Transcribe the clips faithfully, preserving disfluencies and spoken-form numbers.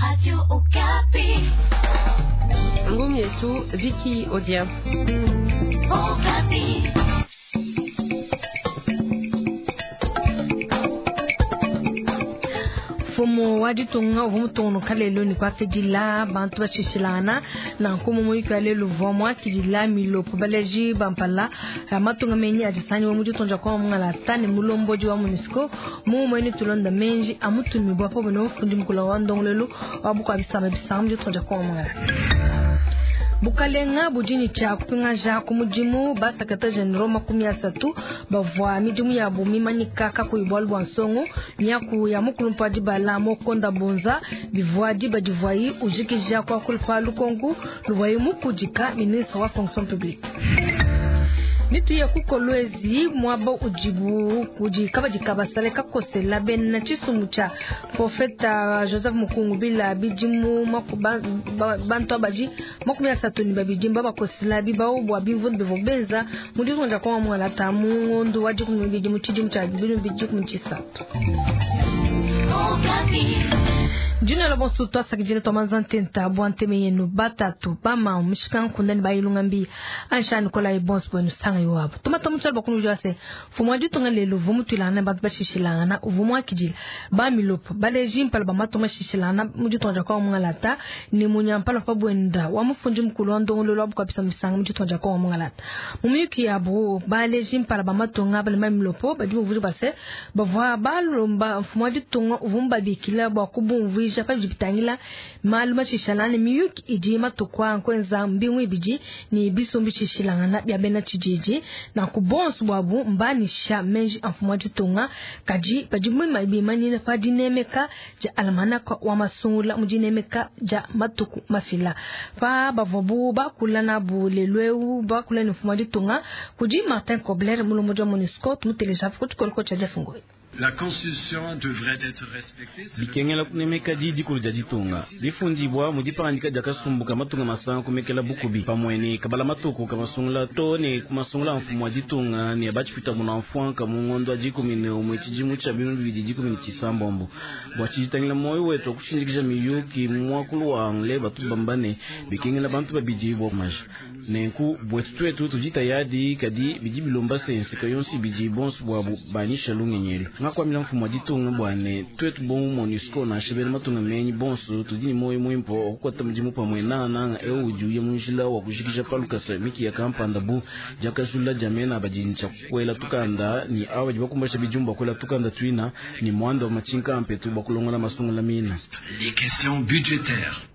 Radio Okapi. Ngumi yetu Vicky Odia. Okapi. Mfumu wa ditunga uvua mutungunuka lelu ne kuakidila bantu bashishilangana nanku mu muyuki wa lelu uvua muakidila milopo baleji bampala matunga menyi adisanyiwa mu ditunga dia Kongo mungalata ne mulombodi wa MONUSCO mumue ne tulonda menji amutumibua pamue ne mufundi mukulu wa ndongoluelu wa bukua bisamba bisanga mu ditunga dia Kongo mungalata. Bukalenga budi ne tshia kupingaja ku mudimu ba secrétaire général makumi asatu bavua midimu yabu mimanyika kakuyi bualu bua nsongo miaku ya mukulumpa wa dibala Mokonda Bonza bivua diba divuayi ujikija kuakula pa lukonku luvuayi mukudika ministre wa fonction publique. Mituye ku Kolwezi mwaba udibu kudi kabadi kabasale kakosela bena tshisumbu tshia profeta Joseph Mukungu bila bidimu makuba bantu abadi makumi asatu ne babidi mbabakosela bibawu bua bimvundu bivua benza mu ditunga dia Kongo mungalata mu ngondo wa dikumi ne bibidi mu tshidimu tshia bibidi bibidi dikumi tshisatu. Jina la bonso twasakidila twamanza ntenta bua nteme yenu batatu bama mishika nkunda ne bayilunga mbi ansha Nikolai bonso bwenu sanga iwabo tumata mutshalo bakunu jwase mfumu wa ditunga lelu uvua mutuilangana bantu bashishilangana uvua muakidila ba milopo baleji mpala ba matunga mashishilangana mu ditunga dia Kongo mungalata ne munyampala pa bwenda wa mufundi mukulu wa ndongoluelu wa bukua bisamba bisanga mu ditunga dia Kongo mungalata mu miyuki yabo baleji mpala ba matunga bale ba milopo badi bumvuija base bavua balomba mfumu wa ditunga uvua mubabikila bua kubumvuija pa bidi bitangila malu mashishilangana ne miyuki idi matuku a nkuenza mbingu ibidi ne bisumbu bishishilangana bia bena tshididi nanku bonso buabu mbanisha menji a mfumu wa ditunga kadi badi bimanyina pa dinemeka dia almanaka wa masungula mu dinemeka dia matuku mafila pa bavuabu bakula nabu lelu eu bakula ne mfumu wa ditunga kudi Martin Kobler mulombodi wa MONUSCO tumuteleja ku tshikoloko tshia Jeff Ngoi. La constitution devrait être respectée. Bikengela kunemeka didi kulu dia ditunga bifundibwa mu dipangandika dia kasumbu ka matunga masanga kumekela bukubi pamue ne kabala matuku kamasungula to ne kumasungula mfumu wa ditunga ne batshipita muna mfuanka mu ngondo wa dikumi ne umue tshidimu tshia binunu bibidi dikumi ne tshisambombo bua tshiditangila moyo wetu wa kushindikija miyuki mu muakulu wa anglais batu bamba ne bikengela bantu babidi bua kumaja nenku bwetu twetu tudi tayadi kadi bidi bilomba se nseka yonso ibidi bonso buabu banyisha lungenyi elu ngakwamila mfumu wa ditunga bua ne twetu bomu MONUSCO nansha bena matunga menyi bonso tudi ne moyo muimpe wa kukuata mudimu pamue nangananga eu udi uya mu njila wa kujikija palukasa miki ya kampanda bu diakajula dia mena badi ne tshia kuela tukanda ni aba badi bakumbasha bidimu bua kuela tukanda tuina ni muanda wa matshinka ampetu bua kulongola masungula mina. Les questions budgétaires.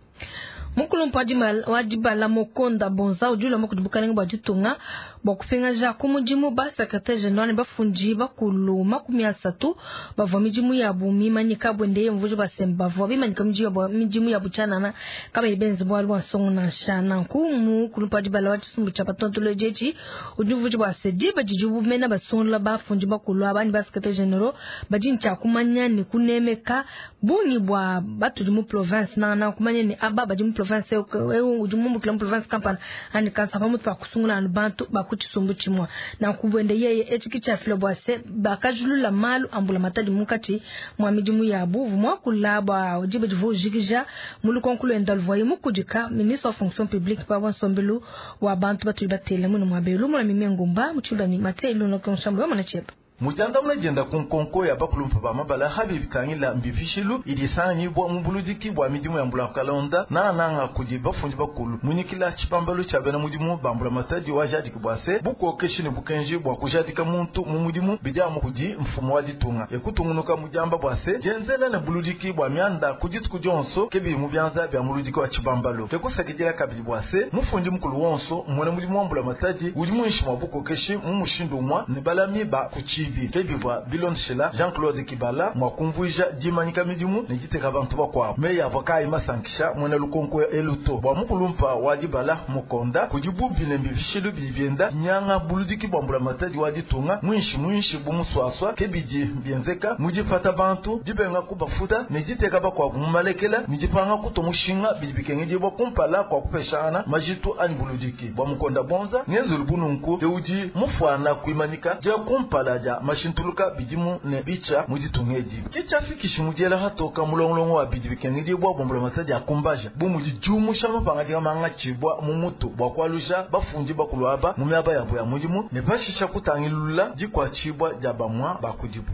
Mukulumpa wa dibala Mokonda Bonza udi ulomba kudi bukalenga bua ditunga bua kupingaja ku mudimu ba secrétaire général ne bafundi bakulu makumi asatu bavua midimu yabu mimanyika bwende mvuji basemba bavua bimanyika midimu yabu tshianana kabayi benze bualu bua nsongo nansha. Nanku mukulumpa wa dibala wa tshisumbu tshia batontolodi etshi udi mvuji bua se diba didi bumena basungula bafundi bakulu aba ne ba secrétaire général badi ne tshia kumanya ne kunemeka bungi bua batudi mu province nangananga kumanya ne aba badi mu province eu udi mumbukila mu province kampala ani kansa pamutu pa kusungula anu bantu ba ku tshisumbu tshimue. Nanku bwende yeye etshi ke tshiafila bua se bakajulula malu ambula matadi munkatshi mua midimu yabu uvua muakula bua diba divua ujikija mu lukonko luenda luvuaye mukudika ministre wa fonction publique pa nsombelu wa bantu batudi batele muno mua belu mula mime ngumba mutshilani mate iluno konshambo wa mwana tshieba. Mujandamuna jenda ku nkonko ya bakulumpa ba mabala habi bitangila mbifishilu idi sanganyibwa mu buludiki bua midimu ya mbula kalonda nananga kudi bafundi bakulu munyikila tshibambalu tshia bena mudimu bambula matadi wa jadiki bua se bukokeshi ne bukenji bua kujadika muntu mu mudimu bidiamu kudi mfumu wa ditunga ekutungunuka mujamba bua se jenzela ne buludiki bua mianda ku dituku dionso kebi mu bianza bia muludiki wa tshibambalu tekusakidila kabidi bua se mufundi mukulu wonso mwena mudimu wa mbula matadi udi muinshi mua bukokeshi mu mushindu umua ne balami ba kuchibi kebivwa bilondeshela Jean-Claude Kibala mwakumvuija dimanyika midimu ne diteka bantu bakuabu meyi avua kayi masankisha muena lukonko eluto bua mukulumpa wa dibala mukonda kudi bubi ne mbifishilu bidi bienda nyanga buludiki bua mbulamatadi wa ditunga mwinshi mwinshi bumuswaswa kebidi bienzeka mudipata bantu dibenga kubafuta ne diteka bakuabu mumalekela ne dipanga kutomushinga bidi bikengedibwa kumpala kwa kupeshana majitu anyi buludiki bua mukonda bonza ngenzelu bununku eudi mufuana kuimanika dia kumpala dia dia mashintuluka bidimu ne bicha mu ditunga edi. Ke tshiafikishi mu diela hatoka mulongolongo wa bidi bikengedibua bua mbulamatadi akumbaja bu mudi diumusha mapangadika mangatshibua mu mutu bua kualusha bafundi bakulu aba mu miaba yabo ya mudimu ne pashisha kutangilula dikuatshibua dia bamwa ba kudibu.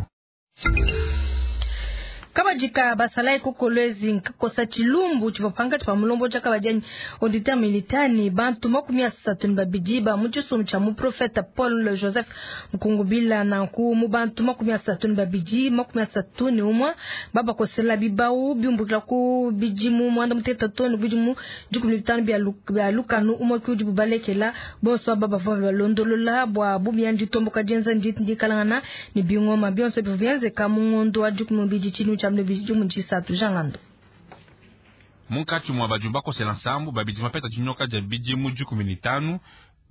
Kabadika basalai kukolwezi nkakosa chilumbu chivopanga chipa mulombo cha kabajani auditeur militaire ni bantu makumi asatu ni babidi ba muchisomo cha mu prophète Paul Joseph Mukungubila na ku mu bantu makumi asatu ni babidi makumi asatu ni umwa baba kosela bibau biumbukila ku bijimu mwanda muteta tonu bijimu dikumi bitano bya lukanu umwe ku dibubalekela bonso baba bava balondolola bwa bubyandi tomboka jenza ndikalangana ni bingoma byonso bivyenze kamungondo wa dikumi bidi chinu cha jangando munkatshi mwa bajumba kosela nsambu babidi mapeta dinyoka dia bidimu dikumi ni tanu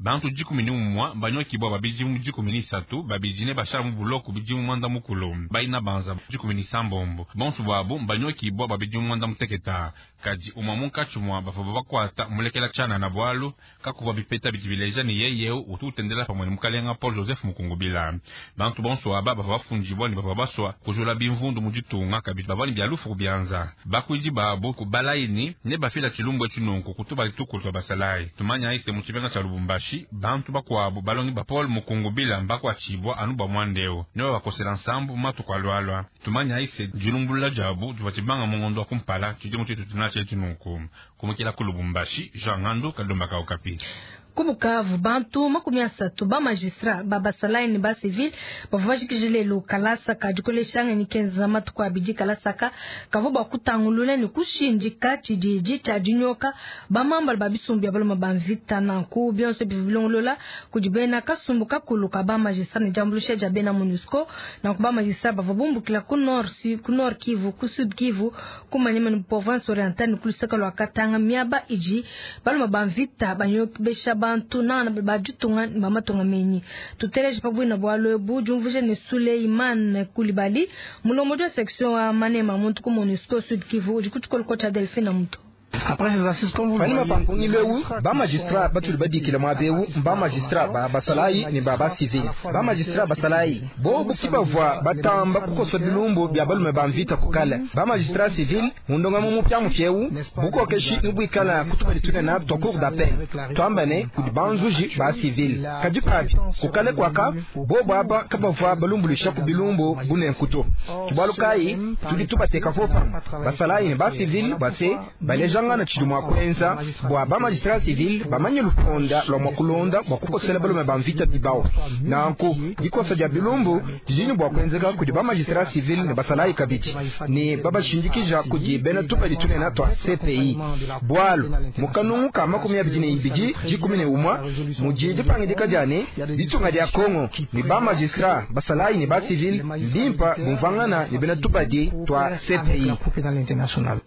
bantu dikumi ni umwa banyokibwa babidimu dikumi ni isatu babidi ne bashala mu buloku bidimu mwanda mukulu baina banza dikumi ni sambombo bonso bwabo banyokibwa babidimu mwanda muteketa kadi umwa munkatshi mwa bava bakwata mulekela tshana na bwalu kakuva bipeta bidi bileja ni yeyeu utu utendela pamwe ni mukalenga Paul Joseph Mukungubila bantu bonso aba bava bafundibwa ni bava baswa kujula bimvundu mu ditunga kabidi bava ni bya lufu kubyanza bakwidi babo kubalaini ne bafila tshilumbu etshinunku kutuba litukulu twa basalayi tumanya ise mu tshipenga tshia Lubumbashi bantu bakwabo balongi ba Paul Mukungubila mbakwatshibwa anu bwa mwandeo ne babakosela nsambu matuku alwalwa tumanya ise dilumbulula diabu diva tshibanga mungondo wa kumpala tshidimu tshitu tshina tshinunku kumukila ku Lubumbashi Jean Ngando Kalomba ka Okapi. Kubukavu bantu makumi asatu ba magistrat ba basalayi ne ba civil bavua bajikije kalasa ka dikoleshanga ni kenza matuku abidi kalasaka kavua bakutangulula ne kushindika tshididi tshia dinyoka bamambala ba bisumbu bya baloma ba mvita nanku byonso bivua bilongolola kudi bena kasumbu kakulu ka ba magistrat ne diambuluisha dia bena MONUSCO nanku ba magistrat bavua bumbukila ku nord ku nord Kivu ku sud Kivu ku Maniema ne province orientale ne ku lusaka lua Katanga miaba idi baloma ba mvita banyokebesha bantu nana bajutunga bamatunga menyi tuteleje pabwina bwalo bu jumvuje ne Suleiman Kulibali mulomo wa section wa Manema muntu ku MONUSCO Sud Kivu udi kutukoloko cha Delphine Muto. Panima pampungilwewu ba magistrat batuli badikila mwabewu ba magistrat ba basalayi ne ba ba civil ba magistrat basalayi bobu kibavwa batamba kukosa bilumbu bya balume ba mvita kukala ba magistrat civil mundonga mu mupya mufyewu bukokeshi nubwikala kutubali tunena twa cour d'appel twambane kudi banzuji ba civil kadi papi kukale kwaka bobu aba kabavwa balumbulisha ku bilumbu bunenkuto kibwalukayi tudi tubateka kopa basalayi ne ba civil base baleja ngana tshidu mwa kwenza bwa ba magistrat civil bamanye luponda lwa mwa kulonda bwa kukosela balume ba mvita bibao nanku dikosa dia bilumbu didini bwa kwenzeka kudi ba magistrat civil ne basalayi kabidi ne babashindikija kudi bena tupali tunena twa C P I bwalu mukanungu ka makumi abidi ne ibidi dikumi ne umwa mudi dipangidika diane ditunga dia Kongo ne ba magistrat basalayi ne ba civil limpa bumvangana ne bena tupadi twa C P I.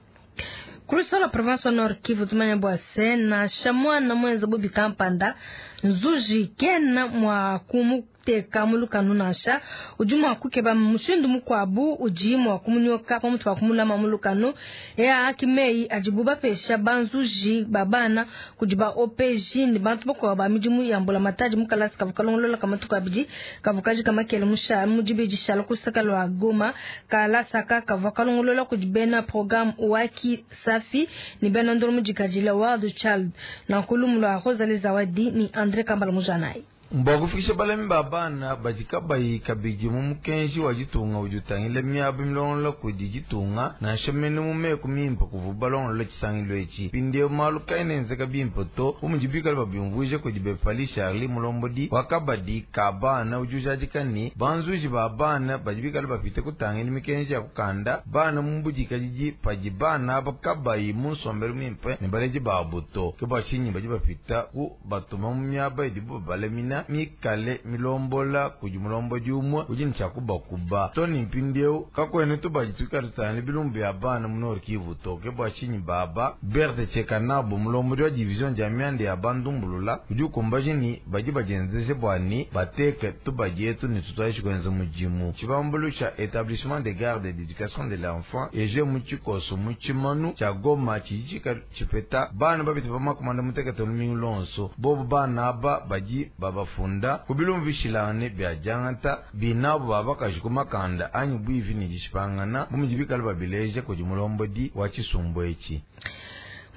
Kulusala province Nord Kivu tumanya bwa sena shamwana mwenza bubi kampanda nzuji kena mwa kumuteka mulukanu nasha udi mwa kukeba mushindu mukwabu udi mwa kumunyoka pamutu wa kumulama mulukanu ya akimei ajibuba pesha banzuji babana kudi ba O P G ni bantu bakwa ba midimu ya mbola mataji mukalasi kavukalongolola kamatuka abidi kavukaji kamakele musha mujibeji shala kusaka lwa Goma kalasaka kavukalongolola kudi bena programme waki safi ni bena ndolo mujikajila World Child na nkulumu lwa Rosalie Zawadi ni Andre Kambala Mujanai. Mbakufikisha balami babana badikabayi kabidi mu mukenji wa ditunga udi utangila miaba milongolola kudi ditunga nansha mene mu meku mimpe kuvu balongolola tshisangilo etshi pindiewu malu kaenenzeka bimpe to bu mudi bikale babiumvuije kudi Bepali Charlie Mulombodi wa kabadi ka bana udi ujadika ne banzuji ba bana badi bikale bapite kutangila mikenji ya kukanda bana mu mbudikadidi padi bana aba kabayi mu nsombelu mimpe ne baledi babu to ke bua tshinyi badi bapita ku batuma mu miaba idibu babalamina mikale milombola kudi mulombodi umwe udi ne tshiakubakuba to ni mpindieu kakwene tubadi tuikale tutangila bilumbu bya bana mu Nord Kivu to ke bua tshinyi baba Berthe Tchekanabo mulombodi wa division dia mianda ya bandumbulula udi ukumbaje ni badi badienzeje bua ni bateke tubadi etu ne tutwaishi kuenza mudimu tshibambulu tshia établissement de garde d'éducation de l'enfant eje mu tshikoso mu tshimanu tshia Goma tshidi tshipeta bana babiti bamakumanda mutekete lumingu lonso bobu bana aba badi baba bafunda ku bilumbu bishilangane bya diangata binabo ba bakaji ku makanda anyi bwivi ne dishipangana bu mudi bikale babileja kudi mulombodi wa tshisumbu etshi.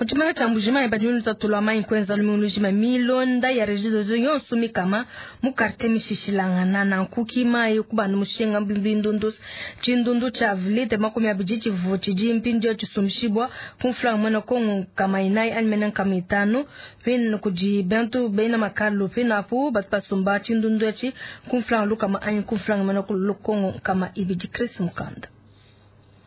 Mu tshimenga tshia Mbuji-Mayi badi lutatu lwa mayi kuenza lumingu lujima milonda ya Regideso yonso mikama mu quartier mishishilangana nanku ki mayi kubanda mushinga mbindundu tshindundu tshia litre makumi abidi tshivu tshidi mpindieu tshisumbishibwa ku mfranga muena Kongo nkama inayi anyi mene nkama itanu pino kudi bantu bena makalu pino apu batu basumba tshindundu etshi ku mfranga lukama anyi ku mfranga muena Kongo nkama ibidi. Chris Mukanda.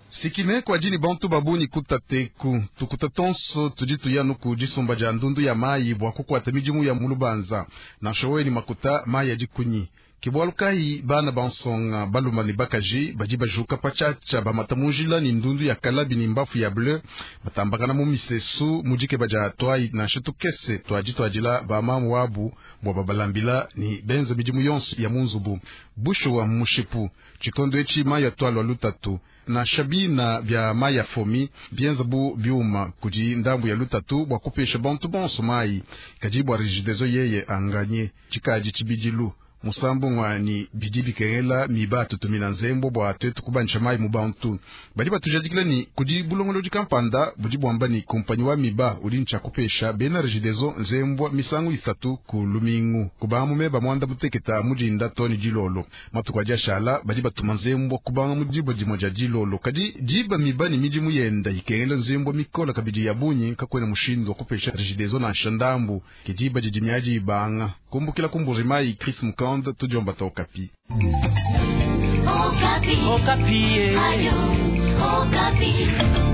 Sikine kwa jini bantu babuni kutateku tukuta tonso tudi tuyanu ku disumba dia ndundu ya mayi bua kukwata midimu ya mulubanza na showeni makuta mayi adikunyi kibwalukayi bana bansonga baluma ne bakaji badi bajuka patshatsha bamata munjila ni ndundu ya kalabi ni mbafu ya bleu batambakana mu misesu mudike baja twayi nansha tukese twaji twajila bamamu wabu bua babalambila ni benza midimu yonso ya munzubu busho wa mushipu tshikondo etshi mayi atwalwa lutatu na shabina bya mayi ya fomi bienza bu biuma kudi ndambu ya lutatu bua kupesha bantu bonso mayi kadi bua Regideso yeye anganye tshikadi tshibidilu musambu ngwani bidi bikengela miba tutumina nzembo bua twetu kubanisha mayi mu bantu badi batujadikila ni kudi bulongolodi kampanda budi bwamba ni kompanyi wa miba udi ntshia kupesha bena Regideso nzembwa misangu isatu ku lumingu kubanga mumeba mwanda muteketa mudinda toni dilolo matuku adi ashala badi batuma nzembwa kubanga mu diba dimue dia dilolo kadi diba miba ni midimu yenda ikengela nzembwa mikola kabidi ya bunyi kakwena mushindu wa kupesha Regideso nansha ndambu ke diba didi miadi ibanga kumbukila ku Mbuji-Mayi Chris Mukanda tudiomba ta Okapi. Okapi. Okapi. Ayo, Okapi.